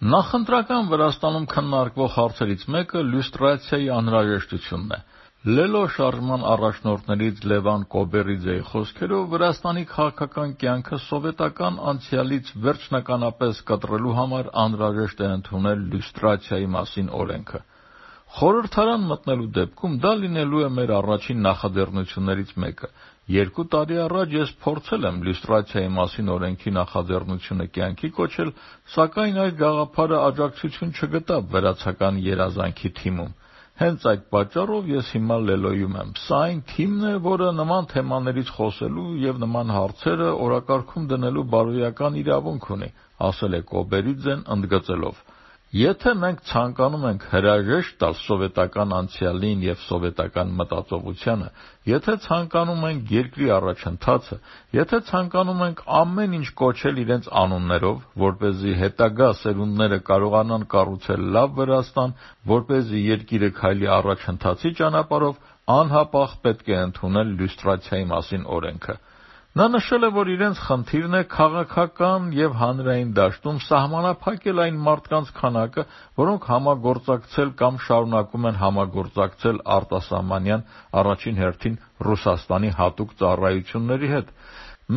Նախընտրական Վրաստանում քննարկվող հարցերից մեկը լյուստրացիայի անհրաժեշտությունն է։ Լելո շարժման առաջնորդներից Լևան Կոբերիձեի խոսքերով Վրաստանի քաղաքական կյանքը սովետական անցյալից վերջնականապես կտրելու համար անհրաժեշտ է ընդունել լյուստրացիայի մասին օրենքը։ Խորհրդարան մտնելու դեպքում դա լինելու է մեր առաջին նախաձեռնություններից մեկը։ 2 տարի առաջ ես փորձել եմ լյուստրացիայի մասին օրենքի նախաձեռնությունը կյանքի կոչել, սակայն այդ գաղափարը աջակցություն չգտավ վրացական երազանքի թիմում։ Հենց այդ պատճառով ես հիմա Լելոյում եմ։ Սա այն թիմն է, որը նման թեմաներից խոսելու եւ նման հարցերը օրակարգում դնելու բարոյական իրավունք ունի, ասել է Կոբերիձեն ընդգծելով. Եթե մենք ցանկանում ենք հրաժեշտ տալ սովետական անցյալին եւ սովետական մտածողությանը, եթե ցանկանում ենք երկրի առաջընթացը, եթե ցանկանում ենք ամեն ինչ կոչել իրենց անուններով, որպեսզի հետագա սերունդները կարողանան կառուցել լավ Վրաստան, որպեսզի երկիրը քայլի առաջընթացի ճանապարհով, անհապաղ պետք է ընդունել լյուստրացիայի մասին օրենքը։ Նա նշել է, որ իրենց խնդիրն է քաղաքական եւ հանրային դաշտում սահմանափակել այն մարդկանց քանակը, որոնք համագործակցել կամ շարունակում են համագործակցել արտասահմանյան, առաջին հերթին Ռուսաստանի հատուկ ծառայությունների հետ։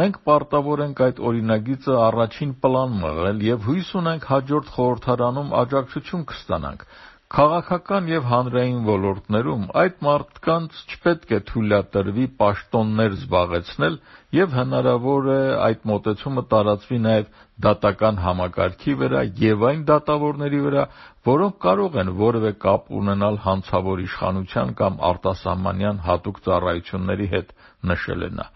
Մենք պարտավոր ենք այդ օրինագիծը առաջին պլան մղել եւ հույս ունենք հաջորդ խորհրդարանում աջակցություն կստանանք։ Քաղաքական եւ հանրային ոլորտներում այդ մարդկանց չպետք է թույլատրվի պաշտոններ զբաղեցնել եւ հնարավոր է այդ մոտեցումը տարածվի նաեւ դատական համակարգի վրա եւ այն դատավորների վրա, որոնք կարող են որևէ կապ ունենալ հանցավոր իշխանության կամ արտասահմանյան հատուկ ծառայությունների հետ, նշել է նա։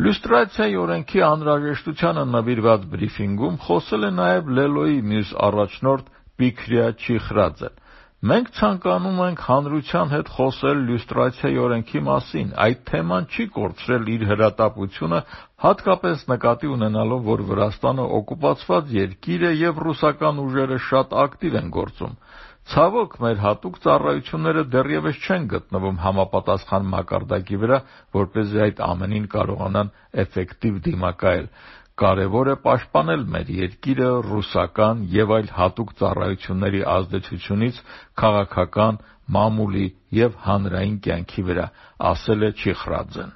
Լյուստրացիայի օրենքի անհրաժեշտությանը նվիրված բրիֆինգում խոսել է նաեւ Լելոյի մյուս առաջնորդ Պիքրիա Չիխրաձեն։ Մենք ցանկանում ենք հանրության հետ խոսել լյուստրացիայի օրենքի մասին, այդ թեման չի կորցրել իր հրատապությունը, հատկապես նկատի ունենալով, որ Վրաստանը օկուպացված երկիր է եւ ռուսական ուժերը շատ ակտիվ են գործում։ Ցավոք, մեր հատուկ ծառայությունները դեռևս չեն գտնվում համապատասխան մակարդակի վրա, որպեսզի այդ ամենին կարողանան էֆեկտիվ դիմակայել։ Կարևոր է պաշտպանել մեր երկիրը ռուսական եւ այլ հատուկ ծառայությունների ազդեցությունից քաղաքական, մամուլի եւ հանրային կյանքի վրա, ասել է Չիխրաձեն։